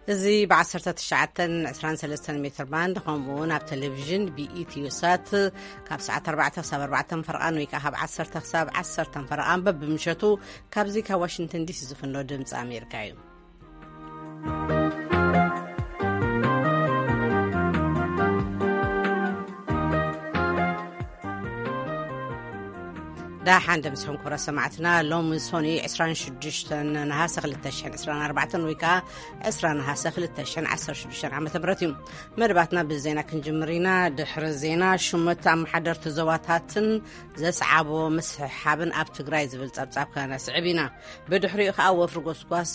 እዚ ብ1923 ሜትር ባንድ፣ ከምኡ እውን ኣብ ቴሌቪዥን ብኢትዮ ሳት ካብ ሰዓት ኣርባዕተ ክሳብ ኣርባዕተ ፈረቓን ወይ ከዓ ካብ ዓሰርተ ክሳብ ዓሰርተ ፈረቓን በብምሸቱ ካብዚ ካብ ዋሽንግተን ዲሲ ዝፍኖ ድምፂ ኣሜሪካ እዩ። ዳሓን ደምስኹም ክብረ ሰማዕትና። ሎሚ ሶኒ 26 ነሃሰ 2024 ወይ ከዓ 20 ነሃሰ 2016 ዓመተ ምህረት እዩ። መደባትና ብዜና ክንጅምር ኢና። ድሕሪ ዜና፣ ሹመት ኣመሓደርቲ ዞባታትን ዘስዓቦ ምስሕሓብን ኣብ ትግራይ ዝብል ጸብጻብ ከነስዕብ ኢና። ብድሕሪኡ ከዓ ወፍሪ ጎስጓስ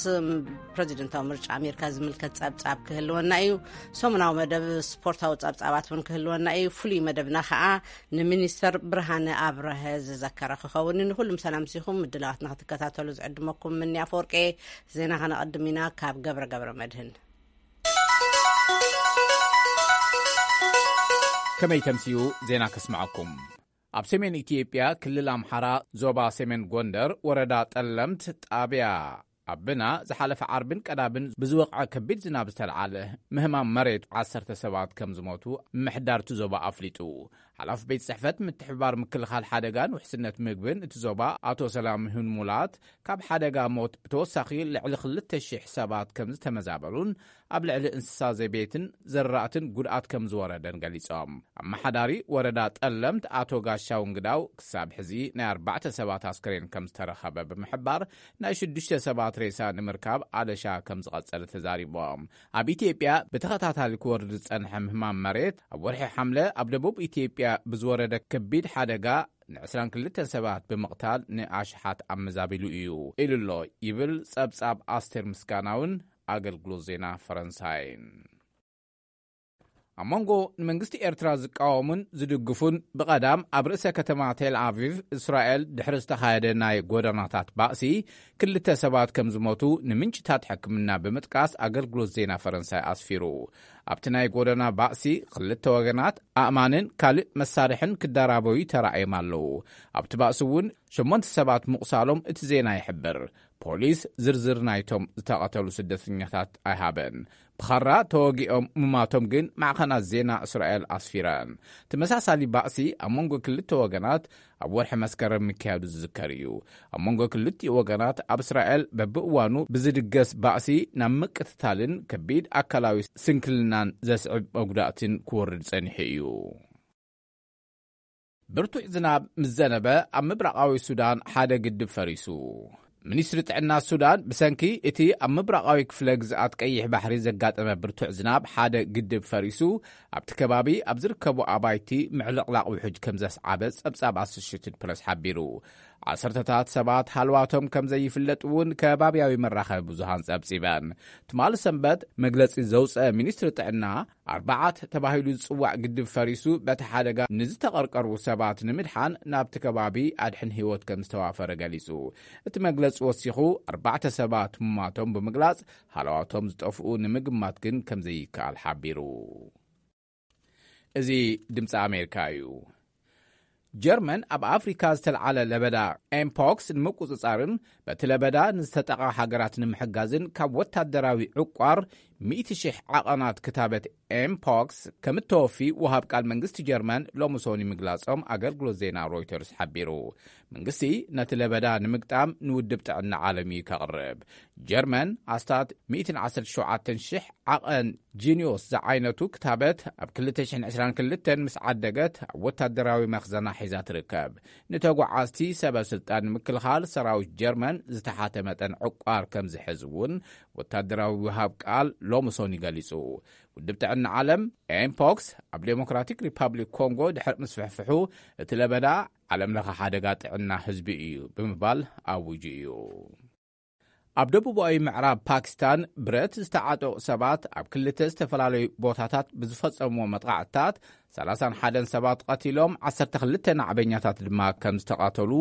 ፕሬዚደንታዊ ምርጫ ኣሜሪካ ዝምልከት ጸብጻብ ክህልወና እዩ። ሰሙናዊ መደብ ስፖርታዊ ጸብጻባት እውን ክህልወና እዩ። ፍሉይ መደብና ከዓ ንሚኒስተር ብርሃነ ኣብረሀ ዝዘከረ ክኸውን። ንኩሉም ሰላም ሲኹም ምድላዋትና ክትከታተሉ ዝዕድመኩም ምኒ ኣፈወርቄ። ዜና ከነቐድም ኢና ካብ ገብረ ገብረ መድህን። ከመይ ተምስዩ ዜና ከስምዐኩም። ኣብ ሰሜን ኢትዮጵያ ክልል ኣምሓራ ዞባ ሰሜን ጎንደር ወረዳ ጠለምት ጣብያ ኣብና ዝሓለፈ ዓርብን ቀዳምን ብዝወቕዐ ከቢድ ዝናብ ዝተልዓለ ምህማም መሬት ዓሰርተ ሰባት ከም ዝሞቱ ምምሕዳር እቲ ዞባ ኣፍሊጡ። ሓላፊ ቤት ጽሕፈት ምትሕብባር ምክልኻል ሓደጋን ውሕስነት ምግብን እቲ ዞባ ኣቶ ሰላም ይሁን ሙላት፣ ካብ ሓደጋ ሞት ብተወሳኺ ልዕሊ ክልተ ሽሕ ሰባት ከም ዝተመዛበሉን ኣብ ልዕሊ እንስሳ ዘቤትን ዘራእትን ጉድኣት ከም ዝወረደን ገሊጾም። ኣመሓዳሪ ወረዳ ጠለምት ኣቶ ጋሻው እንግዳው፣ ክሳብ ሕዚ ናይ ኣርባዕተ ሰባት ኣስከሬን ከም ዝተረኸበ ብምሕባር፣ ናይ ሽዱሽተ ሰባት ሬሳ ንምርካብ ኣለሻ ከም ዝቐጸለ ተዛሪቦም። ኣብ ኢትዮጵያ ብተኸታታሊ ክወርድ ዝጸንሐ ምህማም መሬት፣ ኣብ ወርሒ ሓምለ ኣብ ደቡብ ኢትዮጵያ ብዝወረደ ከቢድ ሓደጋ ን22 ሰባት ብምቕታል ንኣሽሓት ኣመዛቢሉ እዩ ኢሉ ኣሎ፣ ይብል ጸብጻብ ኣስቴር ምስጋናውን ኣገልግሎት ዜና ፈረንሳይን። ኣብ መንጎ ንመንግስቲ ኤርትራ ዝቃወሙን ዝድግፉን፣ ብቐዳም ኣብ ርእሰ ከተማ ቴል ኣቪቭ እስራኤል ድሕሪ ዝተኻየደ ናይ ጎደናታት ባእሲ ክልተ ሰባት ከም ዝሞቱ ንምንጭታት ሕክምና ብምጥቃስ ኣገልግሎት ዜና ፈረንሳይ ኣስፊሩ። ኣብቲ ናይ ጎደና ባእሲ ክልተ ወገናት ኣእማንን ካልእ መሳርሕን ክደራበዩ ተራእዮም ኣለዉ። ኣብቲ ባእሲ እውን ሸሞንተ ሰባት ምቑሳሎም እቲ ዜና ይሕብር። ፖሊስ ዝርዝር ናይቶም ዝተቐተሉ ስደተኛታት ኣይሃበን። ብኻራ ተወጊኦም ምማቶም ግን ማዕኸናት ዜና እስራኤል ኣስፊረን። ተመሳሳሊ ባእሲ ኣብ መንጎ ክልተ ወገናት ኣብ ወርሒ መስከረም ምክያዱ ዝዝከር እዩ። ኣብ መንጎ ክልቲኡ ወገናት ኣብ እስራኤል በብእዋኑ ብዝድገስ ባእሲ ናብ ምቅትታልን ከቢድ ኣካላዊ ስንክልናን ዘስዕብ መጉዳእትን ክወርድ ጸኒሑ እዩ። ብርቱዕ ዝናብ ምስ ዘነበ ኣብ ምብራቓዊ ሱዳን ሓደ ግድብ ፈሪሱ። ሚኒስትሪ ጥዕና ሱዳን ብሰንኪ እቲ ኣብ ምብራቓዊ ክፍለ ግዝኣት ቀይሕ ባሕሪ ዘጋጠመ ብርቱዕ ዝናብ ሓደ ግድብ ፈሪሱ ኣብቲ ከባቢ ኣብ ዝርከቡ ኣባይቲ ምዕልቕላቕ ውሑጅ ከም ዘስዓበ ጸብጻብ ኣሶሽትድ ፕረስ ሓቢሩ። ዓሰርተታት ሰባት ሃልዋቶም ከም ዘይፍለጥ እውን ከባብያዊ መራኸቢ ብዙሃን ጸብጺበን። ትማሊ ሰንበት መግለጺ ዘውጸ ሚኒስትሪ ጥዕና ኣርባዓት ተባሂሉ ዝጽዋዕ ግድብ ፈሪሱ በቲ ሓደጋ ንዝተቐርቀሩ ሰባት ንምድሓን ናብቲ ከባቢ ኣድሕን ህይወት ከም ዝተዋፈረ ገሊጹ። እቲ መግለጺ ወሲኹ ኣርባዕተ ሰባት ምማቶም ብምግላጽ ሃለዋቶም ዝጠፍኡ ንምግማት ግን ከም ዘይከኣል ሓቢሩ። እዚ ድምፂ ኣሜሪካ እዩ። ጀርመን ኣብ ኣፍሪካ ዝተልዓለ ለበዳ ኤምፖክስ ንምቁፅፃርን በቲ ለበዳ ንዝተጠቃ ሃገራት ንምሕጋዝን ካብ ወታደራዊ ዕቋር ሚእቲ ሽሕ ዓቐናት ክታበት ኤምፖክስ ከም እተወፊ ወሃብ ቃል መንግስቲ ጀርመን ሎሚ ሶኒ ምግላጾም ኣገልግሎት ዜና ሮይተርስ ሓቢሩ። መንግስቲ ነቲ ለበዳ ንምግጣም ንውድብ ጥዕና ዓለም እዩ ከቕርብ። ጀርመን ኣስታት ሚእትን ዓሰርተ ሸውዓተን ሽሕ ዓቐን ጂኒዮስ ዝዓይነቱ ክታበት ኣብ ክልተ ሽሕን ዕስራን ክልተን ምስ ዓደገት ኣብ ወታደራዊ መኽዘና ሒዛ ትርከብ። ንተጓዓዝቲ ሰበ ስልጣን ንምክልኻል ሰራዊት ጀርመን ዝተሓተ መጠን ዕቋር ከም ዝሕዝ እውን ወታደራዊ ውሃብ ቃል ሎሚ ሶኒ ገሊጹ። ውድብ ጥዕና ዓለም ኤምፖክስ ኣብ ዴሞክራቲክ ሪፓብሊክ ኮንጎ ድሕሪ ምስፍሕፍሑ እቲ ለበዳ ዓለም ለኸ ሓደጋ ጥዕና ህዝቢ እዩ ብምባል ኣውጁ እዩ። ኣብ ደቡባዊ ምዕራብ ፓኪስታን ብረት ዝተዓጠቑ ሰባት ኣብ ክልተ ዝተፈላለዩ ቦታታት ብዝፈጸምዎ መጥቓዕትታት ሰላሳን ሓደን ሰባት ቀቲሎም ዓሰርተ ክልተ ናዕበኛታት ድማ ከም ዝተቐተሉ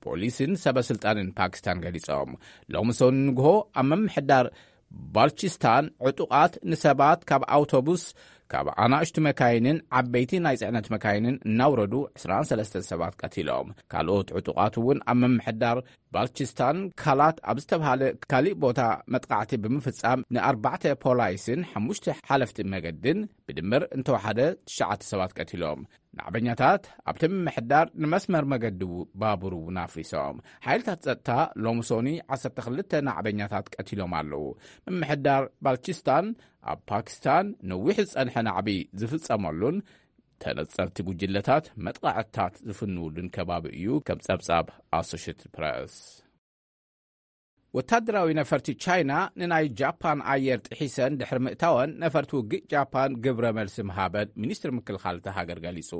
ፖሊስን ሰበ ስልጣንን ፓኪስታን ገሊጾም። ሎሚ ሰኑይ ንግሆ ኣብ ምምሕዳር ባልቺስታን ዕጡቓት ንሰባት ካብ ኣውቶቡስ፣ ካብ ኣናእሽቱ መካይንን ዓበይቲ ናይ ጽዕነት መካይንን እናውረዱ ዕስራን ሰለስተን ሰባት ቀቲሎም። ካልኦት ዕጡቓት እውን ኣብ ምምሕዳር ባልቺስታን ካላት ኣብ ዝተብሃለ ካሊእ ቦታ መጥቃዕቲ ብምፍጻም ንኣርባዕተ ፖላይስን ሓሙሽተ ሓለፍቲ መገድን ብድምር እንተወሓደ ትሽዓተ ሰባት ቀቲሎም። ናዕበኛታት ኣብቲ ምምሕዳር ንመስመር መገዲ ባቡር እውን ኣፍሪሶም። ሓይልታት ጸጥታ ሎምሶኒ ዓሰርተ ክልተ ናዕበኛታት ቀቲሎም ኣለዉ። ምምሕዳር ባልቺስታን ኣብ ፓኪስታን ነዊሕ ዝጸንሐ ናዕቢ ዝፍጸመሉን ተነጸርቲ ጉጅለታት መጥቃዕትታት ዝፍንውሉን ከባቢ እዩ፣ ከም ጸብጻብ ኣሶሽትድ ፕረስ። ወታደራዊ ነፈርቲ ቻይና ንናይ ጃፓን ኣየር ጥሒሰን ድሕሪ ምእታወን፣ ነፈርቲ ውግእ ጃፓን ግብረ መልሲ ምሃበን ሚኒስትሪ ምክልኻል እታ ሃገር ገሊጹ።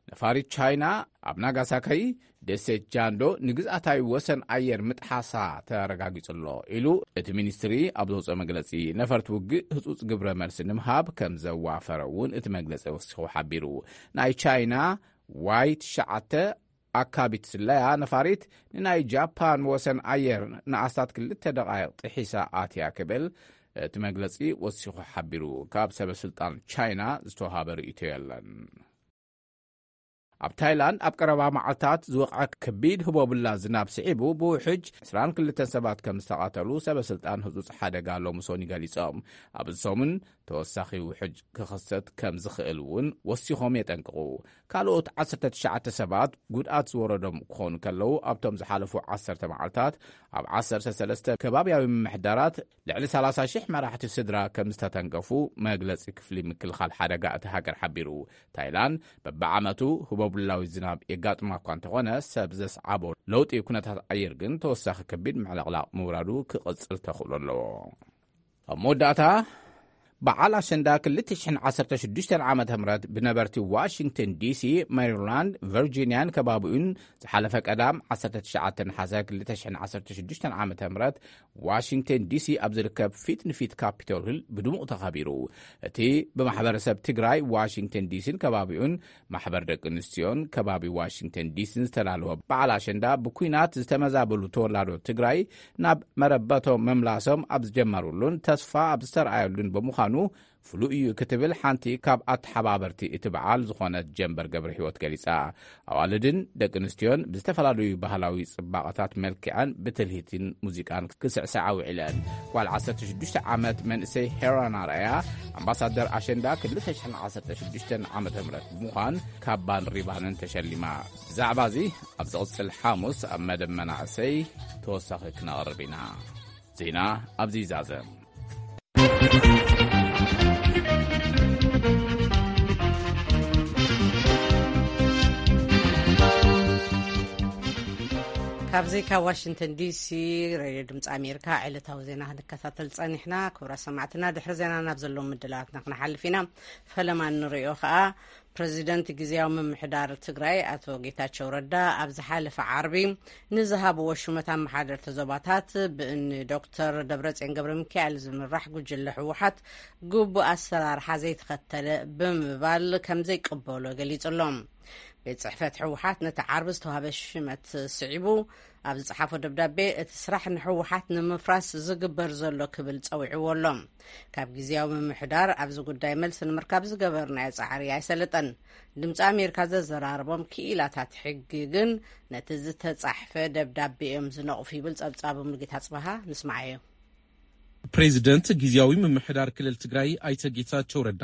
ነፋሪት ቻይና ኣብ ናጋሳካይ ደሴት ጃንዶ ንግዝኣታዊ ወሰን ኣየር ምጥሓሳ ተረጋጊጹ ኣሎ ኢሉ እቲ ሚኒስትሪ ኣብ ዘውፅኦ መግለጺ። ነፈርቲ ውግእ ህጹጽ ግብረ መልሲ ንምሃብ ከም ዘዋፈረ እውን እቲ መግለጺ ወሲኹ ሓቢሩ። ናይ ቻይና ዋይ ትሽዓተ ኣካቢት ስለያ ነፋሪት ንናይ ጃፓን ወሰን ኣየር ንኣስታት ክልተ ደቓይቕ ጥሒሳ ኣትያ ክብል እቲ መግለጺ ወሲኹ ሓቢሩ። ካብ ሰበ ስልጣን ቻይና ዝተዋሃበ ርእይቶ የለን። ኣብ ታይላንድ ኣብ ቀረባ መዓልታት ዝወቕዐ ከቢድ ህቦብላ ዝናብ ስዒቡ ብውሕጅ ዕስራን ክልተን ሰባት ከም ዝተቓተሉ ሰበ ስልጣን ህጹጽ ሓደጋ ሎምሶኒ ገሊጾም። ኣብዚ ሰሙን ተወሳኺ ውሕጅ ክኽሰት ከም ዝኽእል እውን ወሲኾም የጠንቅቑ። ካልኦት ዓሰርተ ትሽዓተ ሰባት ጉድኣት ዝወረዶም ክኾኑ ከለዉ፣ ኣብቶም ዝሓለፉ ዓሰርተ መዓልታት ኣብ ዓሰርተ ሰለስተ ከባብያዊ ምምሕዳራት ልዕሊ ሰላሳ ሽሕ መራሕቲ ስድራ ከም ዝተተንከፉ መግለጺ ክፍሊ ምክልኻል ሓደጋ እቲ ሃገር ሓቢሩ። ታይላንድ በብዓመቱ ህቦብላዊ ዝናብ የጋጥማ እኳ እንተኾነ፣ ሰብ ዘስዓቦ ለውጢ ኩነታት ኣየር ግን ተወሳኺ ከቢድ ምዕልቕላቕ ምውራዱ ክቕጽል ተኽእሎ ኣለዎ። ኣብ መወዳእታ፣ በዓል ኣሸንዳ ክልተ ሽሕን ዓሰርተ ሽዱሽተን ዓመተ ምህረት ብነበርቲ ዋሽንግተን ዲሲ፣ ሜሪላንድ፣ ቨርጂንያን ከባቢኡን ዝሓለፈ ቀዳም ዓሰርተ ትሽዓተ ነሓሰ ክልተ ሽሕን ዓሰርተ ሽዱሽተን ዓመተ ምህረት ዋሽንግተን ዲሲ ኣብ ዝርከብ ፊት ንፊት ካፒቶል ሂል ብድሙቕ ተኸቢሩ። እቲ ብማሕበረሰብ ትግራይ ዋሽንግተን ዲሲን ከባቢኡን ማሕበር ደቂ ኣንስትዮን ከባቢ ዋሽንግተን ዲሲን ዝተዳለወ በዓል ኣሸንዳ ብኲናት ዝተመዛበሉ ተወላዶ ትግራይ ናብ መረበቶም ምምላሶም ኣብ ዝጀመሩሉን ተስፋ ኣብ ዝተረኣየሉን ብምዃኑ ፍሉይ እዩ ክትብል ሓንቲ ካብ ኣተሓባበርቲ እቲ በዓል ዝኾነት ጀንበር ገብረ ህይወት ገሊጻ። ኣዋልድን ደቂ ኣንስትዮን ብዝተፈላለዩ ባህላዊ ጽባቐታት መልኪዐን ብትልሂትን ሙዚቃን ክስዕስዓ ውዒለን። ጓል ዓሰርተ ሽዱሽተ ዓመት መንእሰይ ሄራን ኣርኣያ ኣምባሳደር ኣሸንዳ ክልተ ሽሕን ዓሰርተ ሽዱሽተን ዓመተ ምህረት ብምዃን ካባን ሪባንን ተሸሊማ። ብዛዕባ እዚ ኣብ ዝቕጽል ሓሙስ ኣብ መደብ መናእሰይ ተወሳኺ ክነቕርብ ኢና። ዜና ኣብዚ ይዛዘም። ካብዚ ካብ ዋሽንግተን ዲሲ ሬድዮ ድምፂ ኣሜሪካ ዕለታዊ ዜና ክንከታተል ጸኒሕና። ክቡራት ሰማዕትና፣ ድሕሪ ዜና ናብ ዘለዉ ምድላዋትና ክንሓልፍ ኢና። ፈለማ እንሪኦ ከኣ፣ ፕረዚደንት ግዝያዊ ምምሕዳር ትግራይ ኣቶ ጌታቸው ረዳ ኣብ ዝሓለፈ ዓርቢ ንዝሃብዎ ሹመት ኣመሓደርቲ ዞባታት ብእኒ ዶክተር ደብረጽዮን ገብረ ሚካኤል ዝምራሕ ጉጅለ ህወሓት ግቡእ ኣሰራርሓ ዘይተኸተለ ብምባል ከም ዘይቅበሎ ገሊጹ ኣሎ። ቤት ጽሕፈት ህወሓት ነቲ ዓርቢ ዝተዋህበ ሽመት ስዒቡ ኣብ ዝጸሓፎ ደብዳቤ፣ እቲ ስራሕ ንህወሓት ንምፍራስ ዝግበር ዘሎ ክብል ጸዊዕዎ ኣሎ። ካብ ግዝያዊ ምምሕዳር ኣብዚ ጉዳይ መልሲ ንምርካብ ዝገበርናዮ ጻዕሪ ኣይሰለጠን። ድምፂ ኣሜሪካ ዘዘራረቦም ክኢላታት ሕጊ ግን ነቲ ዝተጻሕፈ ደብዳቤ እዮም ዝነቕፉ ይብል ጸብጻቡ። ሙሉጌታ ጽበሃ፣ ንስማዓዮ። ፕሬዚደንት ግዝያዊ ምምሕዳር ክልል ትግራይ ኣይተ ጌታቸው ረዳ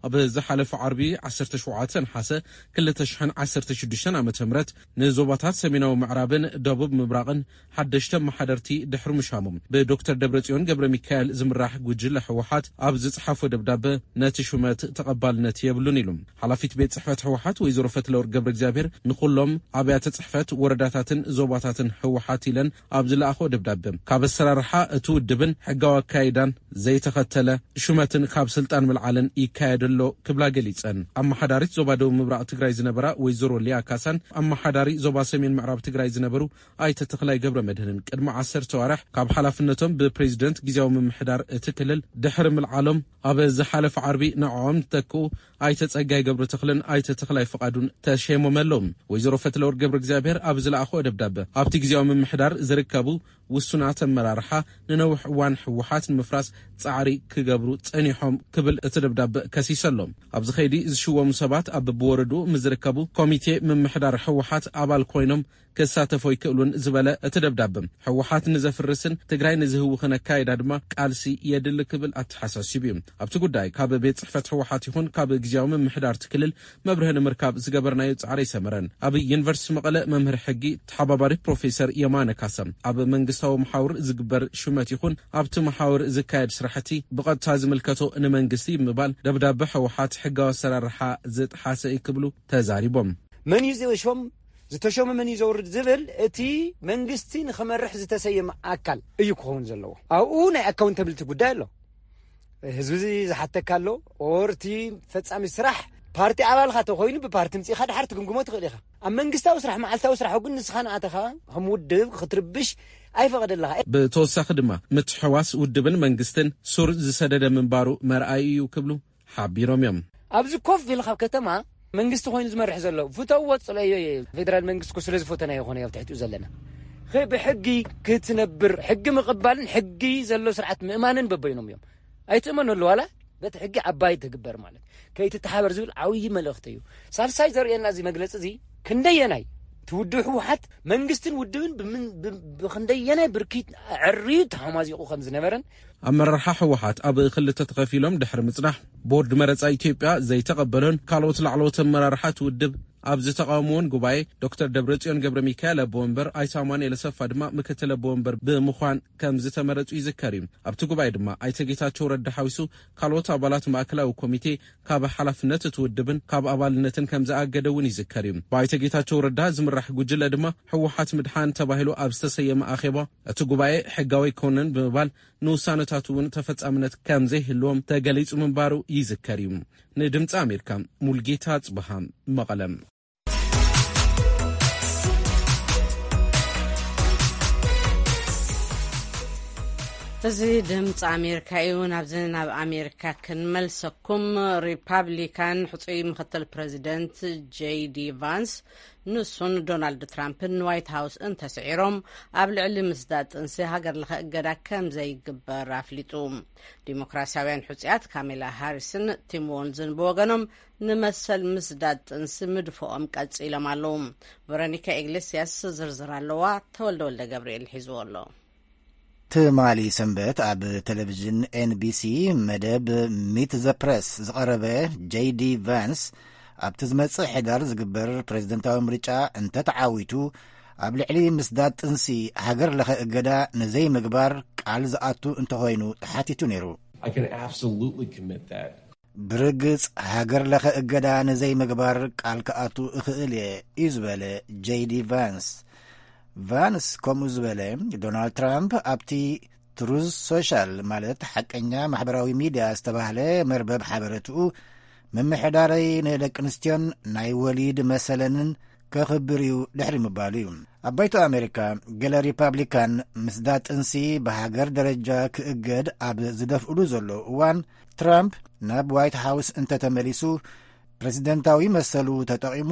ኣብ ዝሓለፈ ዓርቢ ዓሰርተ ሸውዓተ ነሓሰ ክልተ ሽሕን ዓሰርተ ሽዱሽተን ዓመተ ምህረት ንዞባታት ሰሜናዊ ምዕራብን ደቡብ ምብራቕን ሓደሽቲ ኣመሓደርቲ ድሕሪ ምሻሞም፣ ብዶክተር ደብረጽዮን ገብረ ሚካኤል ዝምራሕ ጉጅለ ህወሓት ኣብ ዝጸሓፎ ደብዳበ፣ ነቲ ሹመት ተቐባልነት የብሉን ኢሉ። ሓላፊት ቤት ጽሕፈት ህወሓት ወይዘሮ ፈትለወርቅ ገብረ እግዚኣብሔር ንኹሎም ኣብያተ ጽሕፈት ወረዳታትን ዞባታትን ህወሓት ኢለን ኣብ ዝለኣኾ ደብዳበ፣ ካብ ኣሰራርሓ እቲ ውድብን ሕጋዊ ኣካይዳን ዘይተኸተለ ሹመትን ካብ ስልጣን ምልዓልን ይካየድ ኣሎ ክብላ ገሊጸን። ኣመሓዳሪት ዞባ ደቡብ ምብራቕ ትግራይ ዝነበራ ወይዘሮ ሊያ ካሳን ኣመሓዳሪ ዞባ ሰሜን ምዕራብ ትግራይ ዝነበሩ ኣይተ ተኽላይ ገብረ መድህንን ቅድሚ ዓሰርተ ዋርሕ ካብ ሓላፍነቶም ብፕሬዚደንት ግዝያዊ ምምሕዳር እቲ ክልል ድሕሪ ምልዓሎም፣ ኣብ ዝሓለፈ ዓርቢ ንዕኦም ዝተክኡ ኣይተ ጸጋይ ገብረ ተኽልን ኣይተ ተኽላይ ፍቓዱን ተሸይሞም ኣለዉ። ወይዘሮ ፈትለወርቅ ገብረ እግዚኣብሔር ኣብ ዝለኣኽኦ ደብዳበ፣ ኣብቲ ግዝያዊ ምምሕዳር ዝርከቡ ውሱናት ኣመራርሓ ንነዊሕ እዋን ህወሓት ህወሓት ንምፍራስ ጻዕሪ ክገብሩ ጸኒሖም ክብል እቲ ደብዳበ ከሲሱ ኣሎ። ኣብዚ ኸይዲ ዝሽወሙ ሰባት ኣብ ብወረዱ ምስ ዝርከቡ ኮሚቴ ምምሕዳር ህወሓት ኣባል ኮይኖም ክሳተፎ ይክእሉን ዝበለ እቲ ደብዳበ፣ ህወሓት ንዘፍርስን ትግራይ ንዝህውኽን ኣካይዳ ድማ ቃልሲ የድሊ ክብል ኣተሓሳሲቡ እዩ። ኣብቲ ጉዳይ ካብ ቤት ጽሕፈት ህወሓት ይኹን ካብ ግዝያዊ ምምሕዳር እቲ ክልል መብርሂ ንምርካብ ዝገበርናዮ ጻዕሪ ኣይሰመረን። ኣብ ዩኒቨርሲቲ መቐለ መምህር ሕጊ ተሓባባሪ ፕሮፌሰር የማነ ካሳ፣ ኣብ መንግስታዊ መሓውር ዝግበር ሹመት ይኹን ኣብቲ መሓውር ዝካየድ ስራሕቲ ብቐጥታ ዝምልከቶ ንመንግስቲ ብምባል ደብዳበ ህወሓት ሕጋዊ ኣሰራርሓ ዝጥሓሰ እዩ ክብሉ ተዛሪቦም። መን እዩ ዝሾም? ዝተሾመ መን እዩ ዘውርድ ዝብል እቲ መንግስቲ ንኸመርሕ ዝተሰየመ ኣካል እዩ ክኸውን ዘለዎ። ኣብኡ ናይ ኣካውንተብሊቲ ጉዳይ ኣሎ። ህዝቢ እዚ ዝሓተካ ኣሎ። ኦር እቲ ፈጻሚ ስራሕ ፓርቲ ኣባልካ ተኮይኑ ብፓርቲ ምጽኢኻ ድሓር ትግምግሞ ትኽእል ኢኻ። ኣብ መንግስታዊ ስራሕ፣ መዓልታዊ ስራሕ ግን ንስኻ ንኣተኻ ከም ውድብ ክትርብሽ ኣይፈቐደልኻ። ብተወሳኺ ድማ ምትሕዋስ ውድብን መንግስትን ሱር ዝሰደደ ምንባሩ መርኣዩ እዩ ክብሉ ሓቢሮም እዮም። ኣብዚ ኮፍ ኢልካ ኣብ ከተማ መንግስቲ ኮይኑ ዝመርሕ ዘሎ ፍተዎ ጽለዮ እየ። ፌደራል መንግስቲ እኮ ስለ ዝፈተናዮ ይኾነ ኣብ ትሕቲኡ ዘለና። ኸ-፣ ብሕጊ ክትነብር፣ ሕጊ ምቕባልን ሕጊ ዘሎ ስርዓት ምእማንን በበይኖም እዮም። ኣይትእመነሉ ዋላ በቲ ሕጊ ዓባይ ትግበር ማለት ከይትተሓበር ዝብል ዓብዪ መልእኽቲ እዩ። ሳልሳይ ዘርእየና እዚ መግለፂ እዚ ክንደየናይ ትውድብ ህወሓት መንግስትን ውድብን ብምን-፣ ብ-፣ ብክንደየናይ ብርኪት ዕርዩ ተሃማዚቑ ከም ዝነበረን ኣመራርሓ ህወሓት ኣብ ክልተ ተኸፊሎም ድሕሪ ምጽናሕ፣ ቦርድ መረጻ ኢትዮጵያ ዘይተቐበሎን ካልኦት ላዕለዎት ኣመራርሓ እቲ ውድብ ኣብ ዝተቓወምዎን ጉባኤ፣ ዶክተር ደብረጽዮን ገብረ ሚካኤል ኣቦ ወንበር፣ ኣይተ ኣማኑኤል ኣሰፋ ድማ ምክትል ኣቦ ወንበር ብምዃን ከም ዝተመረጹ ይዝከር እዩ። ኣብቲ ጉባኤ ድማ ኣይተ ጌታቸው ረዳ ሓዊሱ ካልኦት ኣባላት ማእከላዊ ኮሚቴ ካብ ሓላፍነት እቲ ውድብን ካብ ኣባልነትን ከም ዝኣገደ እውን ይዝከር እዩ። ብኣይተ ጌታቸው ረዳ ዝምራሕ ጉጅለ ድማ ህወሓት ምድሓን ተባሂሉ ኣብ ዝተሰየመ ኣኼባ እቲ ጉባኤ ሕጋዊ ኣይኮነን ብምባል ንውሳነታቱ እውን ተፈጻምነት ከም ዘይህልዎም ተገሊጹ ምንባሩ ይዝከር እዩ። ንድምፂ ኣሜሪካ ሙልጌታ ጽብሃ መቐለ። እዚ ድምፂ ኣሜሪካ እዩ። ናብዚ ናብ ኣሜሪካ ክንመልሰኩም። ሪፓብሊካን ሕፁይ ምክትል ፕሬዚደንት ጄዲ ቫንስ ንሱን ዶናልድ ትራምፕን ንዋይት ሃውስ እንተስዒሮም ኣብ ልዕሊ ምስዳድ ጥንሲ ሃገር ለኸ እገዳ ከም ዘይግበር ኣፍሊጡ። ዲሞክራሲያውያን ሕፁያት ካሜላ ሃሪስን ቲም ዎልዝን ብወገኖም ንመሰል ምስዳድ ጥንሲ ምድፍኦም ቀፂሎም ኣለዉ። ቨሮኒካ ኢግሌስያስ ዝርዝር ኣለዋ። ተወልደ ወልደ ገብርኤል ሒዝዎ ኣሎ። ትማሊ ሰንበት ኣብ ቴሌቪዥን ኤንቢሲ መደብ ሚት ዘ ፕረስ ዝቐረበ ጄዲ ቫንስ ኣብቲ ዝመጽእ ሕዳር ዝግበር ፕሬዝደንታዊ ምርጫ እንተተዓዊቱ ኣብ ልዕሊ ምስዳድ ጥንሲ ሃገር ለኸ እገዳ ንዘይምግባር ቃል ዝኣቱ እንተኾይኑ ተሓቲቱ ነይሩ። I can absolutely commit that. ብርግጽ ሃገር ለኸ እገዳ ንዘይምግባር ቃል ክኣቱ እኽእል እየ እዩ ዝበለ ጄዲ ቫንስ። ቫንስ ከምኡ ዝበለ ዶናልድ ትራምፕ ኣብቲ ትሩዝ ሶሻል ማለት ሓቀኛ ማሕበራዊ ሚድያ ዝተባህለ መርበብ ሓበረትኡ ምምሕዳረይ ንደቂ ኣንስትዮን ናይ ወሊድ መሰለንን ከኽብር እዩ ድሕሪ ምባሉ እዩ። ኣብ ባይቶ ኣሜሪካ ገለ ሪፓብሊካን ምስዳ ጥንሲ ብሃገር ደረጃ ክእገድ ኣብ ዝደፍእሉ ዘለዉ እዋን ትራምፕ ናብ ዋይት ሃውስ እንተተመሊሱ ፕሬዚደንታዊ መሰሉ ተጠቒሙ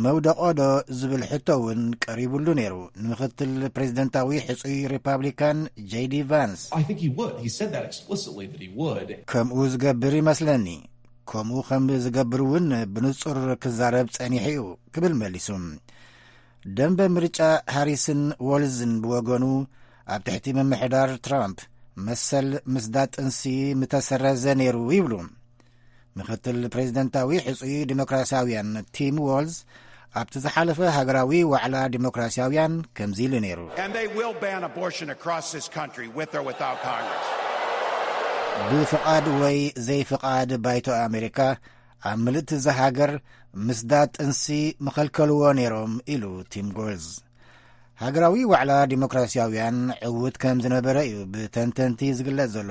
መውደቖ ዶ ዝብል ሕቶ እውን ቀሪቡሉ ነይሩ። ንምክትል ፕሬዚደንታዊ ሕጹይ ሪፓብሊካን ጄዲ ቫንስ I think he would. He said that explicitly that he would. ከምኡ ዝገብር ይመስለኒ። ከምኡ ከም ዝገብር እውን ብንጹር ክዛረብ ጸኒሑ እዩ ክብል መሊሱ። ደንበ ምርጫ ሃሪስን ዎልዝን ብወገኑ ኣብ ትሕቲ ምምሕዳር ትራምፕ መሰል ምስዳ ጥንሲ ምተሰረዘ ነይሩ ይብሉ። ምክትል ፕሬዚደንታዊ ሕጹይ ዲሞክራሲያውያን ቲም ዎልዝ ኣብቲ ዝሓለፈ ሃገራዊ ዋዕላ ዲሞክራሲያውያን ከምዚ ኢሉ ነይሩ። And they will ban abortion across this country with or without Congress. ብፍቓድ ወይ ዘይፍቓድ ባይቶ ኣሜሪካ ኣብ ምልእቲ እዛ ሃገር ምስዳ ጥንሲ ምኸልከልዎ ነይሮም ኢሉ ቲም ዎልዝ። ሃገራዊ ዋዕላ ዲሞክራሲያውያን ዕዉት ከም ዝነበረ እዩ ብተንተንቲ ዝግለጽ ዘሎ።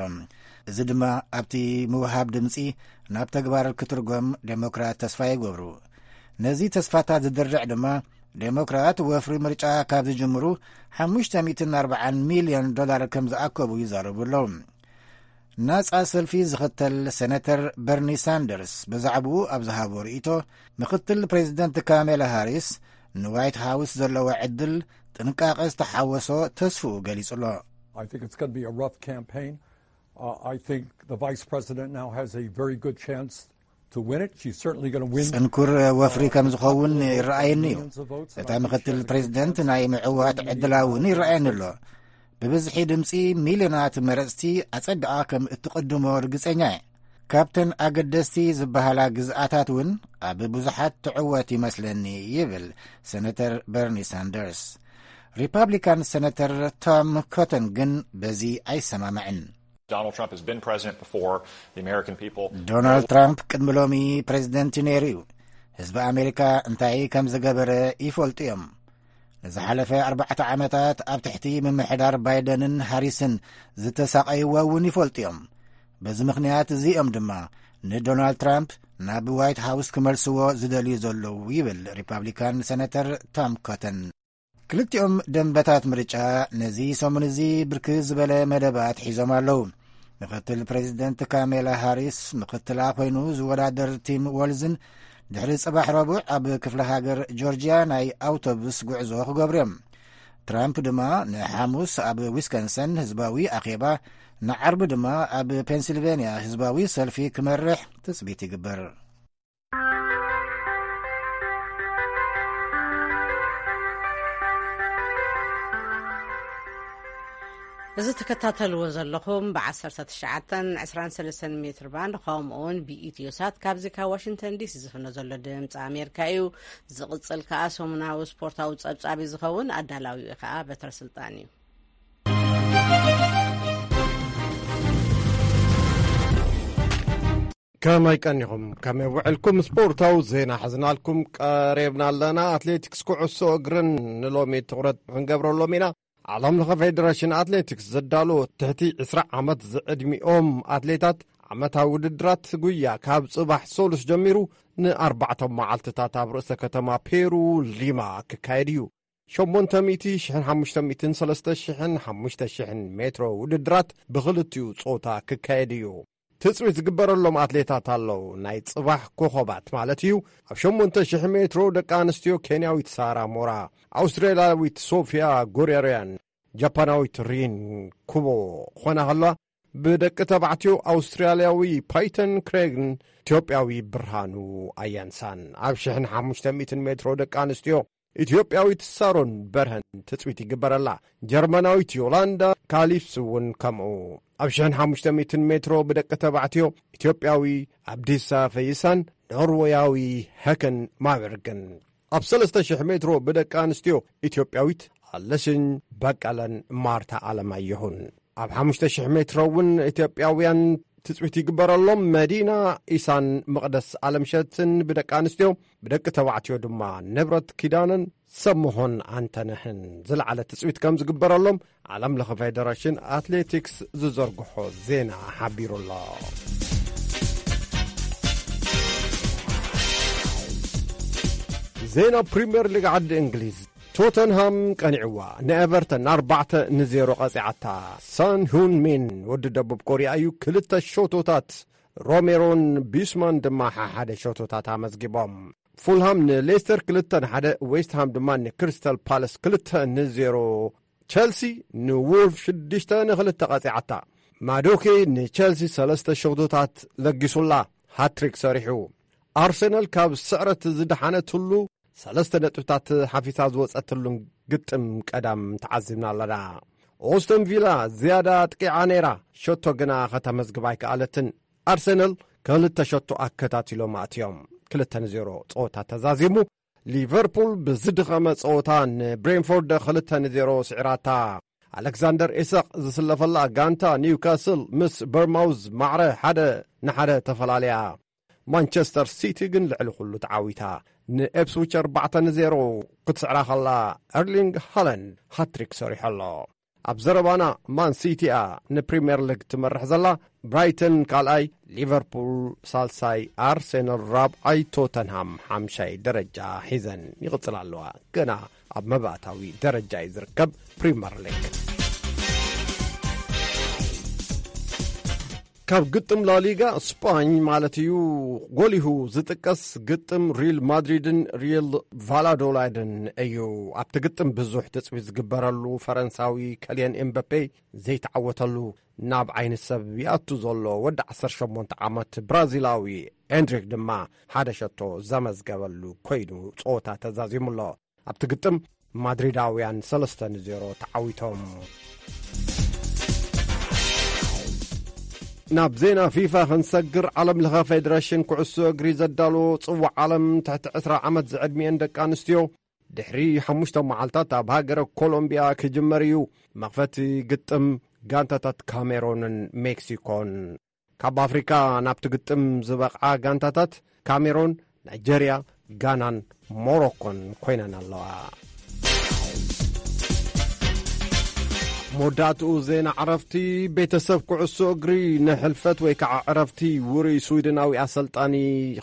እዚ ድማ ኣብቲ ምውሃብ ድምጺ ናብ ተግባር ክትርጎም ዴሞክራት ተስፋ ይገብሩ። ነዚ ተስፋታት ዝድርዕ ድማ ዴሞክራት ወፍሪ ምርጫ ካብ ዝጅምሩ ሓሙሽተ ሚእትን ኣርባዓን ሚልዮን ዶላር ከም ዝኣከቡ ይዛረቡ ኣለዉ። ናጻ ሰልፊ ዝኽተል ሴነተር በርኒ ሳንደርስ ብዛዕባኡ ኣብ ዝሃቦ ርእይቶ ምክትል ፕሬዚደንት ካሜላ ሃሪስ ንዋይት ሃውስ ዘለዎ ዕድል ጥንቃቐ ዝተሓወሶ ተስፍኡ ገሊጹ ኣሎ። I think it's going to be a rough campaign. Uh, I think the vice president now has a very good chance to win it. She's certainly going to win. ጽንኩር ወፍሪ ከም ዝኸውን ይረኣየኒ እዩ። Millions of votes, and እታ I think she ምክትል has a ፕሬዚደንት ናይ ምዕዋት ዕድላ እውን ይረኣየኒ ኣሎ። ብብዝሒ ድምፂ ሚልዮናት መረፅቲ ኣጸቢቓ ከም እትቕድሞ ርግጸኛ እየ። ካብተን ኣገደስቲ ዝበሃላ ግዝኣታት እውን ኣብ ብዙሓት ትዕወት ይመስለኒ፣ ይብል ሰነተር በርኒ ሳንደርስ። ሪፓብሊካን ሰነተር ቶም ኮተን ግን በዚ ኣይሰማማዕን። Donald Trump has been president before. The American people. ዶናልድ ትራምፕ ቅድሚ ሎሚ ፕሬዚደንት እዩ ነይሩ እዩ። ህዝቢ ኣሜሪካ እንታይ ከም ዝገበረ ይፈልጡ እዮም። ንዝሓለፈ ኣርባዕተ ዓመታት ኣብ ትሕቲ ምምሕዳር ባይደንን ሃሪስን ዝተሳቐይዎ እውን ይፈልጡ እዮም። በዚ ምኽንያት እዚ እዮም ድማ ንዶናልድ ትራምፕ ናብ ዋይት ሃውስ ክመልስዎ ዝደልዩ ዘለዉ፣ ይብል ሪፓብሊካን ሰነተር ቶም ኮተን። ክልቲኦም ደንበታት ምርጫ ነዚ ሰሙን እዚ ብርክት ዝበለ መደባት ሒዞም ኣለዉ። ምክትል ፕሬዚደንት ካሜላ ሃሪስ ምክትላ ኮይኑ ዝወዳደር ቲም ወልዝን ድሕሪ ጽባሕ ረቡዕ ኣብ ክፍለ ሃገር ጆርጂያ ናይ ኣውቶቡስ ጉዕዞ ክገብሩ እዮም። ትራምፕ ድማ ንሓሙስ ኣብ ዊስኮንሰን ህዝባዊ ኣኼባ፣ ንዓርቢ ድማ ኣብ ፔንሲልቬንያ ህዝባዊ ሰልፊ ክመርሕ ትጽቢት ይግበር። እዚ ትከታተልዎ ዘለኹም ብ19፣ 23 ሜትር ባንድ፣ ከምኡ እውን ብኢትዮ ሳት ካብዚ ካብ ዋሽንግተን ዲሲ ዝፍኖ ዘሎ ድምፂ ኣሜሪካ እዩ። ዝቕፅል ከዓ ሰሙናዊ ስፖርታዊ ፀብፃብ እዩ ዝኸውን። ኣዳላዊኡ ከዓ በትረ ስልጣን እዩ። ከመይ ቀኒኹም? ከመይ ውዕልኩም? ስፖርታዊ ዜና ሒዝናልኩም ቀሪብና ኣለና። ኣትሌቲክስ፣ ኩዕሶ እግርን ንሎሚ ትኹረት ክንገብረሎም ኢና። ዓለም ለኸ ፌደሬሽን ኣትሌቲክስ ዘዳሎ ትሕቲ ዕስራ ዓመት ዝዕድሚኦም ኣትሌታት ዓመታዊ ውድድራት ጉያ ካብ ጽባሕ ሰሉስ ጀሚሩ ንኣርባዕተ መዓልትታት ኣብ ርእሰ ከተማ ፔሩ ሊማ ክካየድ እዩ። ሸሞንተ ሚእቲ፣ ሽሕን ሓሙሽተ ሚእትን፣ ሰለስተ ሽሕን ሓሙሽተ ሽሕን ሜትሮ ውድድራት ብኽልቲኡ ጾታ ክካየድ እዩ። ትጽቢት ዝግበረሎም ኣትሌታት ኣለዉ። ናይ ጽባሕ ኮኾባት ማለት እዩ። ኣብ ሸሞንተ ሽሕ ሜትሮ ደቂ ኣንስትዮ ኬንያዊት ሳራ ሞራ፣ ኣውስትራልያዊት ሶፊያ ጎሬርያን ጃፓናዊት ሪን ኩቦ ክኾና ከለዋ፣ ብደቂ ተባዕትዮ ኣውስትራልያዊ ፓይተን ክሬግን ኢትዮጵያዊ ብርሃኑ ኣያንሳን፣ ኣብ ሽሕን ሓሙሽተ ሚእትን ሜትሮ ደቂ ኣንስትዮ ኢትዮጵያዊት ሳሮን በርሀን ትጽቢት ይግበረላ። ጀርመናዊት ዮላንዳ ካሊፍስ እውን ከምኡ። ኣብ ሽሕን ሓሙሽተ ሚእትን ሜትሮ ብደቂ ተባዕትዮ ኢትዮጵያዊ ኣብዲሳ ፈይሳን ኖርወያዊ ሀከን ማበርግን። ኣብ ሰለስተ ሽሕ ሜትሮ ብደቂ ኣንስትዮ ኢትዮጵያዊት ኣለሽኝ በቀለን ማርታ ኣለማየሁን። ኣብ ሓሙሽተ ሽሕ ሜትሮ እውን ኢትዮጵያውያን ትጽቢት ይግበረሎም። መዲና ኢሳን መቕደስ ኣለምሸትን ብደቂ ኣንስትዮ፣ ብደቂ ተባዕትዮ ድማ ንብረት ኪዳነን ሰምሆን ኣንተነህን ዝለዓለ ትጽቢት ከም ዝግበረሎም ዓለም ለኸ ፌደሬሽን ኣትሌቲክስ ዝዘርግሖ ዜና ሓቢሩ ኣሎ። ዜና ፕሪምየር ሊግ ዓዲ እንግሊዝ። ቶተንሃም ቀኒዕዋ ንኤቨርተን ኣርባዕተ ንዜሮ ቀጺዓታ። ሳን ሁን ሚን ወዲ ደቡብ ኮርያ እዩ ክልተ ሸቶታት፣ ሮሜሮን ቢስማን ድማ ሓሓደ ሸቶታት ኣመዝጊቦም። ፉልሃም ንሌስተር ክልተ ንሓደ፣ ዌስትሃም ድማ ንክሪስታል ፓለስ ክልተ ንዜሮ፣ ቸልሲ ንውልፍ ሽዱሽተ ንክልተ ቀጺዓታ። ማዶኬ ንቸልሲ ሰለስተ ሸቶታት ለጊሱላ፣ ሃትሪክ ሰሪሑ። ኣርሰናል ካብ ስዕረት ዝደሓነትሉ ሰለስተ ነጥብታት ሓፊሳ ዝወጸትሉን ግጥም ቀዳም ተዓዚብና ኣለና። ኦስተን ቪላ ዝያዳ ኣጥቂዓ ነይራ፣ ሸቶ ግና ከተመዝግብ ኣይከኣለትን። ኣርሰናል ክልተ ሸቶ ኣከታቲሎም ኣእትዮም። ክልተ ንዜሮ ጸወታ ተዛዚሙ። ሊቨርፑል ብዝድኸመ ጸወታ ንብሬንፎርድ ክልተ ንዜሮ ስዒራታ። ኣሌክዛንደር ኢሳቕ ዝስለፈላ ጋንታ ኒውካስል ምስ በርማውዝ ማዕረ ሓደ ንሓደ ተፈላለያ። ማንቸስተር ሲቲ ግን ልዕሊ ኩሉ ተዓዊታ። ንኤፕስዊች ኣርባዕተ ንዜሮ ክትስዕራ ከላ፣ ኤርሊንግ ሃላንድ ሃትሪክ ሰሪሑ ኣሎ። ኣብ ዘረባና፣ ማን ሲቲ እያ ንፕሪምየር ሊግ ትመርሕ ዘላ፣ ብራይተን ካልኣይ፣ ሊቨርፑል ሳልሳይ፣ ኣርሴናል ራብዓይ፣ ቶተንሃም ሓምሻይ ደረጃ ሒዘን ይቕጽላ ኣለዋ። ገና ኣብ መባእታዊ ደረጃ እዩ ዝርከብ ፕሪምየር ሊግ። ካብ ግጥም ላሊጋ ስጳኝ ማለት እዩ፣ ጎሊሁ ዝጥቀስ ግጥም ሪል ማድሪድን ሪል ቫላዶላይድን እዩ። ኣብቲ ግጥም ብዙሕ ትጽቢት ዝግበረሉ ፈረንሳዊ ከልየን ኤምበፔ ዘይተዓወተሉ፣ ናብ ዓይኒ ሰብ ይኣቱ ዘሎ ወዲ ዓሰርተ ሸሞንተ ዓመት ብራዚላዊ ኤንድሪክ ድማ ሓደ ሸቶ ዘመዝገበሉ ኮይኑ ጸወታ ተዛዚሙ ኣሎ። ኣብቲ ግጥም ማድሪዳውያን ሰለስተ ንዜሮ ተዓዊቶም። ናብ ዜና ፊፋ ክንሰግር፣ ዓለም ለኸ ፌደሬሽን ኩዕሶ እግሪ ዘዳለዎ ጽዋዕ ዓለም ትሕቲ ዕስራ ዓመት ዝዕድሚኤን ደቂ ኣንስትዮ ድሕሪ ሓሙሽተ መዓልታት ኣብ ሃገረ ኮሎምቢያ ክጅመር እዩ። መኽፈቲ ግጥም ጋንታታት ካሜሮንን ሜክሲኮን። ካብ ኣፍሪካ ናብቲ ግጥም ዝበቕዓ ጋንታታት ካሜሮን፣ ናይጀርያ፣ ጋናን ሞሮኮን ኮይነን ኣለዋ። መወዳእትኡ ዜና ዕረፍቲ። ቤተሰብ ኩዕሶ እግሪ ንሕልፈት ወይ ከዓ ዕረፍቲ ውሩይ ስዊድናዊ ኣሰልጣኒ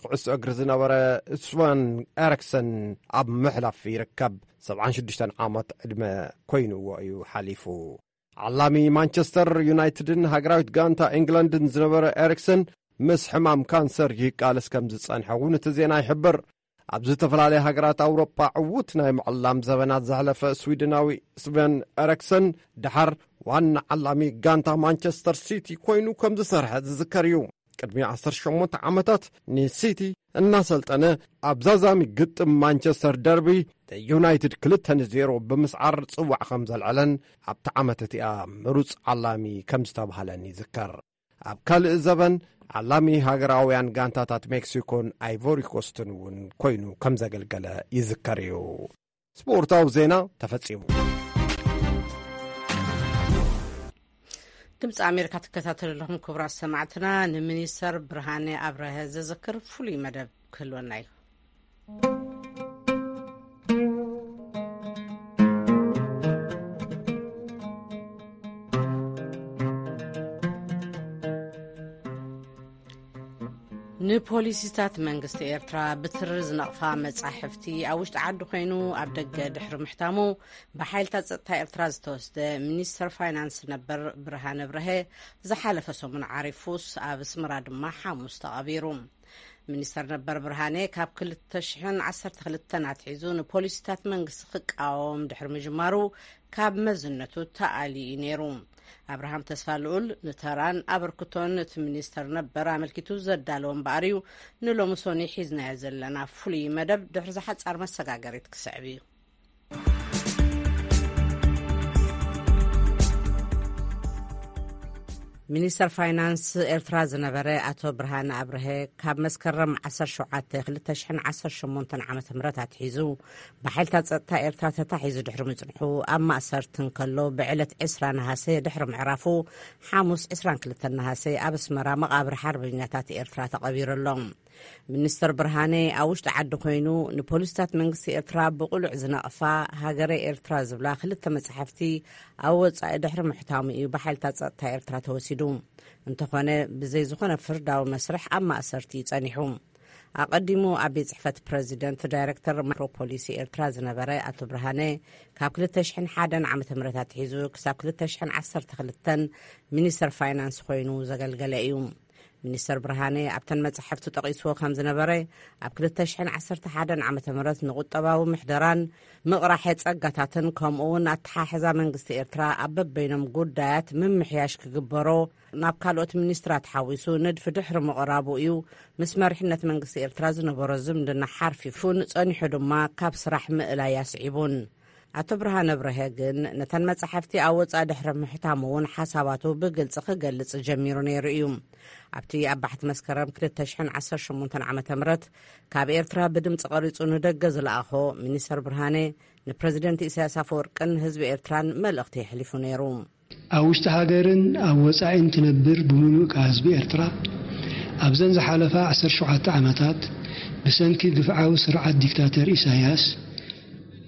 ኩዕሶ እግሪ ዝነበረ ስቫን ኤሪክሰን ኣብ ምሕላፍ ይርከብ። ሰብዓን ሽዱሽተን ዓመት ዕድመ ኮይንዎ እዩ ሓሊፉ። ዓላሚ ማንቸስተር ዩናይትድን ሃገራዊት ጋንታ ኤንግላንድን ዝነበረ ኤሪክሰን ምስ ሕማም ካንሰር ይቃለስ ከም ዝጸንሐ እውን እቲ ዜና ይሕብር። ኣብ ዝተፈላለያ ሃገራት ኣውሮጳ ዕዉት ናይ ምዕላም ዘበናት ዘሕለፈ ስዊድናዊ ስቨን ኤሪክሰን፣ ደሓር ዋና ዓላሚ ጋንታ ማንቸስተር ሲቲ ኮይኑ ከም ዝሰርሐ ዝዝከር እዩ። ቅድሚ ዓሰርተ ሸሞንተ ዓመታት ንሲቲ እናሰልጠነ፣ ኣብ ዛዛሚ ግጥም ማንቸስተር ደርቢ ዩናይትድ ክልተ ንዜሮ ብምስዓር ጽዋዕ ከም ዘልዐለን ኣብቲ ዓመት እቲኣ ምሩጽ ዓላሚ ከም ዝተባህለን ይዝከር። ኣብ ካልእ ዘበን ዓላሚ ሃገራውያን ጋንታታት ሜክሲኮን ኣይቮሪ ኮስትን እውን ኮይኑ ከም ዘገልገለ ይዝከር እዩ። ስፖርታዊ ዜና ተፈጺሙ። ድምፂ ኣሜሪካ ትከታተሉ ኣለኹም ክቡራት ሰማዕትና። ንሚኒስተር ብርሃነ ኣብረሀ ዘዘክር ፍሉይ መደብ ክህልወና እዩ። ንፖሊሲታት መንግስቲ ኤርትራ ብትሪ ዝነቕፋ መጻሕፍቲ ኣብ ውሽጢ ዓዲ ኮይኑ ኣብ ደገ ድሕሪ ምሕታሙ ብሓይልታት ጸጥታ ኤርትራ ዝተወስደ፣ ሚኒስተር ፋይናንስ ነበር ብርሃነ ብርሀ ዝሓለፈ ሰሙን ዓሪፉስ ኣብ ኣስመራ ድማ ሓሙስ ተቐቢሩ። ሚኒስተር ነበር ብርሃነ ካብ ክልተ ሽሕን ዓሰርተ ክልተን ኣትሒዙ ንፖሊሲታት መንግስቲ ክቃወም ድሕሪ ምጅማሩ ካብ መዝነቱ ተኣልዩ እዩ ነይሩ። ኣብርሃም ተስፋ ልኡል ንተራን ኣበርክቶን እቲ ሚኒስተር ነበር ኣመልኪቱ ዘዳለወ እምበኣር እዩ ንሎሚ ሶኒ ሒዝናዮ ዘለና ፍሉይ መደብ ድሕሪ ዝሓጻር መሰጋገሪት ክስዕብ እዩ። ሚኒስተር ፋይናንስ ኤርትራ ዝነበረ ኣቶ ብርሃነ ኣብርሀ ካብ መስከረም ዓሰርተ ሸውዓተ ክልተ ሽሕን ዓሰርተ ሸሞንተን ዓመተ ምህረት ኣትሒዙ ብሓይልታት ጸጥታ ኤርትራ ተታሒዙ ድሕሪ ምጽንሑ ኣብ ማእሰርቲ እንከሎ ብዕለት ዕስራ ነሃሰ ድሕሪ ምዕራፉ ሓሙስ ዕስራን ክልተን ነሃሰ ኣብ ኣስመራ መቓብር ሓርበኛታት ኤርትራ ተቐቢሩ ኣሎ። ሚኒስተር ብርሃነ ኣብ ውሽጢ ዓዲ ኮይኑ ንፖሊስታት መንግስቲ ኤርትራ ብቕሉዕ ዝነቕፋ ሃገረ ኤርትራ ዝብላ ክልተ መጻሕፍቲ ኣብ ወጻኢ ድሕሪ ምሕታሙ እዩ ብሓይልታት ጸጥታ ኤርትራ ተወሲዱ። እንተኾነ ብዘይ ዝኾነ ፍርዳዊ መስርሕ ኣብ ማእሰርቲ እዩ ጸኒሑ። ኣቐዲሙ ኣብ ቤት ጽሕፈት ፕረዚደንት ዳይረክተር ማክሮ ፖሊሲ ኤርትራ ዝነበረ ኣቶ ብርሃነ ካብ ክልተ ሽሕን ሓደን ዓመተ ምህረት ኣትሒዙ ክሳብ ክልተ ሽሕን ዓሰርተ ክልተን ሚኒስተር ፋይናንስ ኮይኑ ዘገልገለ እዩ። ሚኒስተር ብርሃነ ኣብተን መጻሕፍቱ ጠቒስዎ ከም ዝነበረ፣ ኣብ ክልተ ሽሕን ዓሰርተ ሓደን ዓመተ ምህረት ንቁጠባዊ ምሕደራን ምቕራሐ ጸጋታትን ከምኡ እውን ኣተሓሕዛ መንግስቲ ኤርትራ ኣብ በበይኖም ጉዳያት ምምሕያሽ ክግበሮ ናብ ካልኦት ሚኒስትራት ሓዊሱ ንድፊ ድሕሪ ምቕራቡ እዩ ምስ መሪሕነት መንግስቲ ኤርትራ ዝነበሮ ዝምድና ሓርፊፉን ጸኒሑ ድማ ካብ ስራሕ ምእላይ ኣስዒቡን። ኣቶ ብርሃነ ብርሀ ግን ነተን መጻሕፍቲ ኣብ ወጻኢ ድሕሪ ምሕታሙ እውን ሓሳባቱ ብግልጺ ክገልጽ ጀሚሩ ነይሩ እዩ። ኣብቲ ኣብ ባሕቲ መስከረም ክልተ ሽሕን ዓሰርተ ሸሞንተን ዓመተ ምህረት ካብ ኤርትራ ብድምጺ ቀሪጹ ንደገ ዝለኣኾ ሚኒስተር ብርሃነ ንፕረዚደንት ኢሳያስ ኣፈወርቅን ህዝቢ ኤርትራን መልእኽቲ የሕሊፉ ነይሩ። ኣብ ውሽጢ ሃገርን ኣብ ወጻኢን ትነብር ብምሉእ ከኣ ህዝቢ ኤርትራ፣ ኣብዘን ዝሓለፋ ዓሰርተ ሸውዓተ ዓመታት ብሰንኪ ግፍዓዊ ስርዓት ዲክታተር ኢሳያስ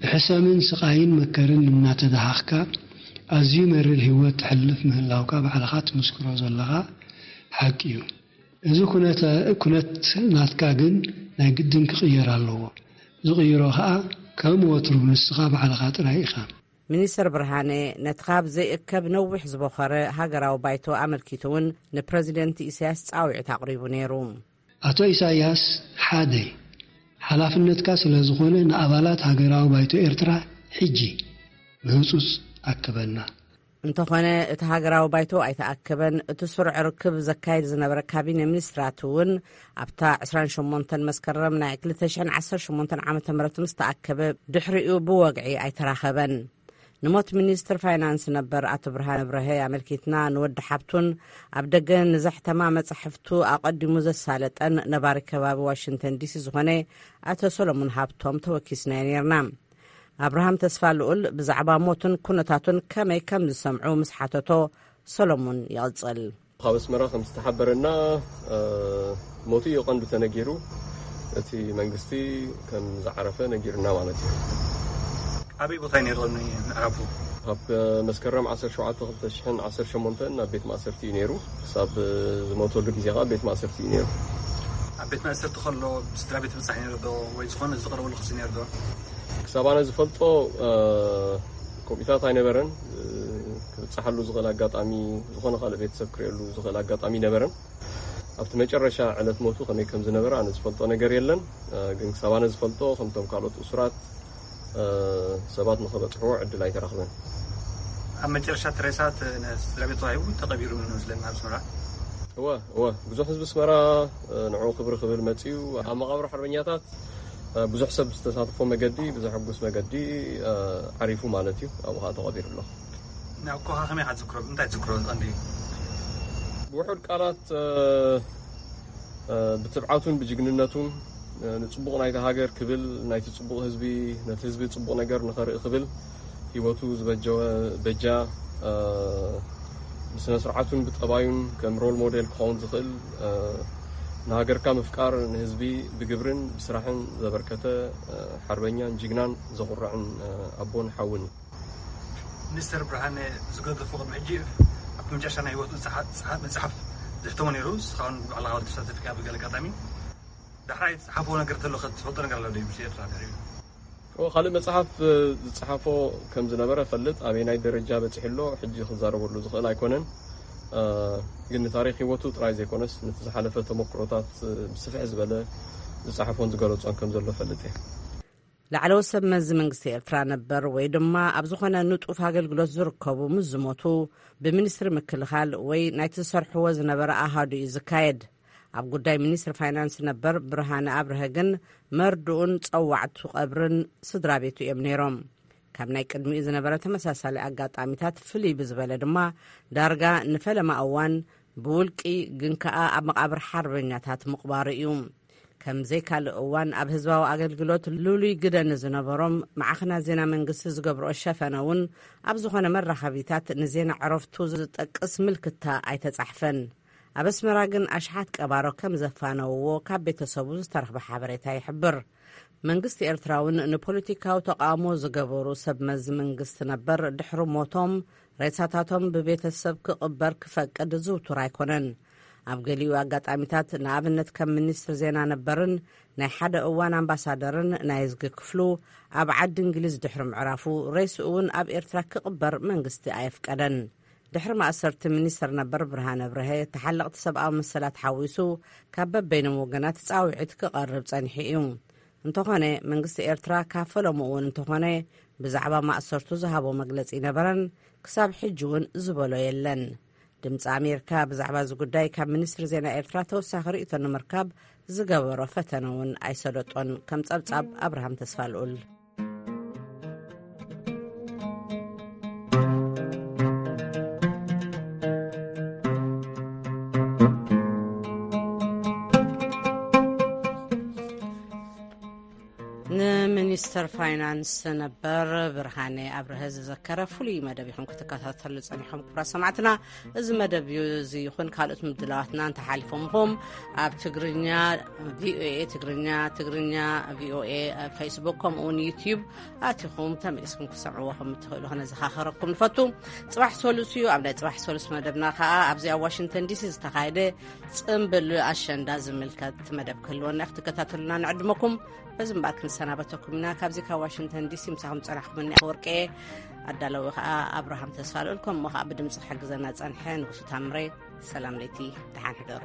ብሕሰምን ስቓይን መከርን እናተደሃኽካ ኣዝዩ መሪር ህይወት ተሕልፍ ምህላውካ ባዕልኻ ትምስክሮ ዘለኻ ሓቂ እዩ። እዚ ኩነተ-፣ ኩነት ናትካ ግን ናይ ግድን ክቕየር ኣለዎ። ዝቕይሮ ኸኣ ከም ወትሩ ንስኻ ባዕልኻ ጥራይ ኢኻ። ሚኒስተር ብርሃነ ነቲ ካብ ዘይእከብ ነዊሕ ዝበኸረ ሃገራዊ ባይቶ ኣመልኪቱ እውን ንፕረዚደንት ኢሳያስ ጻውዒት ኣቕሪቡ ነይሩ። ኣቶ ኢሳያስ ሓደ ሓላፍነትካ ስለ ዝኾነ ንኣባላት ሃገራዊ ባይቶ ኤርትራ ሕጂ ብህጹጽ ኣክበና። እንተኾነ እቲ ሃገራዊ ባይቶ ኣይተኣከበን። እቲ ስሩዕ ርክብ ዘካየድ ዝነበረ ካቢነ ሚኒስትራት እውን ኣብታ ዕስራን ሸሞንተን መስከረም ናይ ክልተ ሽሕን ዓሰርተ ሸሞንተን ዓመተ ምህረት ምስ ተኣከበ ድሕሪኡ ብወግዒ ኣይተራኸበን። ንሞት ሚኒስትር ፋይናንስ ነበር ኣቶ ብርሃነ ብርሀ ኣመልኪትና ንወዲ ሓብቱን ኣብ ደገ ንዘሕተማ መጻሕፍቱ ኣቐዲሙ ዘሳለጠን ነባሪ ከባቢ ዋሽንግተን ዲሲ ዝኾነ ኣቶ ሰሎሙን ሃብቶም ተወኪስናዮ ነርና። ኣብርሃም ተስፋ ልኡል ብዛዕባ ሞቱን ኩነታቱን ከመይ ከም ዝሰምዑ ምስ ሓተቶ፣ ሰሎሙን ይቕጽል። ካብ ኣስመራ ከም ዝተሓበረና፣ እ፣ ሞቱ እዩ ቀንዱ ተነጊሩ። እቲ መንግስቲ ከም ዝዓረፈ ነጊሩና ማለት እዩ። ኣበይ ቦታ እዩ ነይሩ ቅድሚ ምዕራፉ? ካብ መስከረም ዓሰርተ ሸውዓተ ክልተ ሽሕን ዓሰርተ ሸሞንተን ናብ ቤት ማእሰርቲ እዩ ነይሩ። ክሳብ ዝሞተሉ ግዜ ኸዓ ቤት ማእሰርቲ እዩ ነይሩ። ኣብ ቤት ማእሰርቲ ከሎ ስድራ ቤት ይብጻሕ ነይሩ ዶ? ወይ ዝኾነ ዝቐረበሉ ክሲ ነይሩ ዶ? ክሳብ ኣነ ዝፈልጦ፣ እ፣ ከምኡታት ኣይነበረን። እ፣ ክብጻሓሉ ዝኽእል ኣጋጣሚ፣ ዝኾነ ካልእ ቤተሰብ ክርእየሉ ዝኽእል ኣጋጣሚ ነበረን። ኣብቲ መጨረሻ ዕለት ሞቱ ከመይ ከም ዝነበረ ኣነ ዝፈልጦ ነገር የለን። እ፣ ግን ክሳብ ኣነ ዝፈልጦ ከምቶም ካልኦት እሱራት፣ እ፣ ሰባት ንኸበጽሕዎ ዕድል ኣይተረኽበን። ኣብ መጨረሻ እቲ ሬሳ ተ-፣ ንስድራ ቤት ተዋሂቡ ተቐቢሩ ምን መስለኒ ኣብ ኣስመራ። እወ፣ እወ፣ ብዙሕ ህዝቢ ኣስመራ፣ እ፣ ንዕኡ ክብሪ ክብል መጺኡ። ኣብ መቓብር ሓርበኛታት፣ እ፣ ብዙሕ ሰብ ዝተሳተፎ መገዲ፣ ብዘሐጉስ መገዲ፣ እ፣ ዓሪፉ ማለት እዩ። ኣብኡ ኸዓ ተቐቢሩ ኣሎ። ንኣኮኻ ከመይ ኢኻ ትዝክሮ? እንታይ ትዝክሮ ቀንዲ? ብውሑድ ቃላት፣ እ፣ እ፣ ብትብዓቱን ብጅግንነቱን፣ እ፣ ንጽቡቕ ናይታ ሃገር ክብል፣ ናይቲ ጽቡቕ ህዝቢ፣ ነቲ ህዝቢ ጽቡቕ ነገር ንኸርኢ ክብል፣ ህይወቱ ዝበጀወ በጃ፣ እ፣ ብስነ ስርዓቱን ብጠባዩን ከም ሮል ሞዴል ክኸውን ዝኽእል፣ እ፣ ንሃገርካ ምፍቃር፣ ንህዝቢ ብግብርን ብስራሕን ዘበርከተ፣ እ፣ ሓርበኛን ጅግናን ዘኹርዕን፣ እ፣ ኣቦን ሓውን እዩ። ሚኒስተር ብርሃነ ዝገደፎ ቅድሚ ሕጂ ኣብ መጨረሻ ናይ ህይወቱ ዝጸሓ-፣ ዝጸሓ-፣ መጽሓፍ ዘሕተሞ ነይሩ። ንስኻ እውን ብዕላዊ ተሳተፍካ ብገለ ኣጋጣሚ። ዳሕራይ ዝጸሓፎ ነገር ተሎ ከ ትፈልጦ ነገር ኣሎ ዶ? ምስ ኤርትራ ተሪኡ። ኦ፣ ካልእ መጽሓፍ፣ እ፣ ዝጸሓፎ ከም ዝነበረ እፈልጥ። ኣበየናይ ደረጃ በጺሑ ኣሎ፣ ሕጂ ክዛረበሉ ዝኽእል ኣይኮነን። እ፣ ግን ንታሪኽ ህይወቱ ጥራይ ዘይኮነስ፣ ነቲ ዝሓለፈ ተመክሮታት፣ እ፣ ብስፍሕ ዝበለ ዝጸሓፎን ዝገለጾን ከም ዘሎ እፈልጥ እየ። ላዕለዎት ሰብ መዚ መንግስቲ ኤርትራ ነበር ወይ ድማ ኣብ ዝኾነ ንጡፍ ኣገልግሎት ዝርከቡ ምስ ዝሞቱ፣ ብሚኒስትሪ ምክልኻል ወይ ናይቲ ዝሰርሕዎ ዝነበረ ኣሃዱ እዩ ዝካየድ። ኣብ ጉዳይ ሚኒስትሪ ፋይናንስ ነበር ብርሃነ ኣብርሀ ግን መርድኡን ጸዋዕቱ ቀብርን ስድራ ቤቱ እዮም ነይሮም። ካብ ናይ ቅድሚኡ ዝነበረ ተመሳሳሊ ኣጋጣሚታት ፍልይ ብዝበለ ድማ ዳርጋ ንፈለማ እዋን ብውልቂ ግን ከኣ ኣብ መቓብር ሓርበኛታት ምቕባሩ እዩ። ከም ዘይካልእ እዋን ኣብ ህዝባዊ ኣገልግሎት ልሉይ ግደ ንዝነበሮም ማዕኸናት ዜና መንግስቲ ዝገብርኦ ሸፈነ እውን ኣብ ዝኾነ መራኸቢታት ንዜና ዕረፍቱ ዝጠቅስ ምልክታ ኣይተጻሕፈን። ኣብ ኣስመራ ግን ኣሽሓት ቀባሮ ከም ዘፋነውዎ ካብ ቤተሰቡ ዝተረኽበ ሓበሬታ ይሕብር። መንግስቲ ኤርትራ እውን ንፖለቲካዊ ተቃውሞ ዝገበሩ ሰብ መዚ መንግስቲ ነበር ድሕሪ ሞቶም ሬሳታቶም ብቤተሰብ ክቕበር ክፈቅድ ዝውቱር ኣይኮነን። ኣብ ገሊኡ ኣጋጣሚታት፣ ንኣብነት ከም ሚኒስትር ዜና ነበርን ናይ ሓደ እዋን ኣምባሳደርን ናይ ዝጊ ክፍሉ ኣብ ዓዲ እንግሊዝ ድሕሪ ምዕራፉ፣ ሬስኡ እውን ኣብ ኤርትራ ክቕበር መንግስቲ ኣየፍቀደን። ድሕሪ ማእሰርቲ ሚኒስትር ነበር ብርሃነ ብርሀ፣ ተሓለቕቲ ሰብኣዊ መሰላት ሓዊሱ ካብ በበይኖም ወገናት ጻውዒት ክቐርብ ጸኒሑ እዩ። እንተኾነ መንግስቲ ኤርትራ ካብ ፈለምኡ እውን እንተኾነ ብዛዕባ ማእሰርቱ ዝሃቦ መግለጺ ይነበረን፣ ክሳብ ሕጂ እውን ዝበሎ የለን። ድምፂ ኣሜሪካ ብዛዕባ እዚ ጉዳይ ካብ ሚኒስትሪ ዜና ኤርትራ ተወሳኺ ርእይቶ ንምርካብ ዝገበሮ ፈተነ እውን ኣይሰለጦን። ከም ጸብጻብ ኣብርሃም ተስፋ ልኡል። ንሚኒስተር ፋይናንስ ነበር ብርሃነ ኣብርሀ ዝዘከረ ፍሉይ መደብ ኢኹም ክትከታተሉ ጸኒሖም። ክቡራት ሰማዕትና፣ እዚ መደብ እዩ፣ እዚ ይኹን ካልኦት ምድላዋትና እንተሓሊፎምኹም ኣብ ትግርኛ፣ ቪኦኤ ትግርኛ፣ ትግርኛ ቪኦኤ ፌስቡክ፣ ከምኡ እውን ዩትዩብ ኣቲኹም ተመሊስኩም ክትሰምዕዎ ከም እትኽእሉ ክነዘኻኸረኩም ንፈቱ። ጽባሕ ሰሉስ እዩ። ኣብ ናይ ጽባሕ ሰሉስ መደብና ከኣ ኣብዚ ኣብ ዋሽንግተን ዲሲ ዝተኻየደ ጽምብል ኣሸንዳ ዝምልከት መደብ ክህልወና እዩ። ክትከታተሉና ንዕድመኩም። በዚ እምበኣር ክንሰናበተኩም ኢና። ካብዚ ካብ ዋሽንግተን ዲሲ ምሳኹም ጸናሕኩምኒ ኣፈወርቂ እየ። ኣዳለዊ ከዓ ኣብርሃም ተስፋ ልኡል፣ ከምኡ ከዓ ብድምፂ ክሕግዘና ፀንሐ ንጉሱ ታምሬ። ሰላም ለይቲ፣ ደሓን ሕደሩ።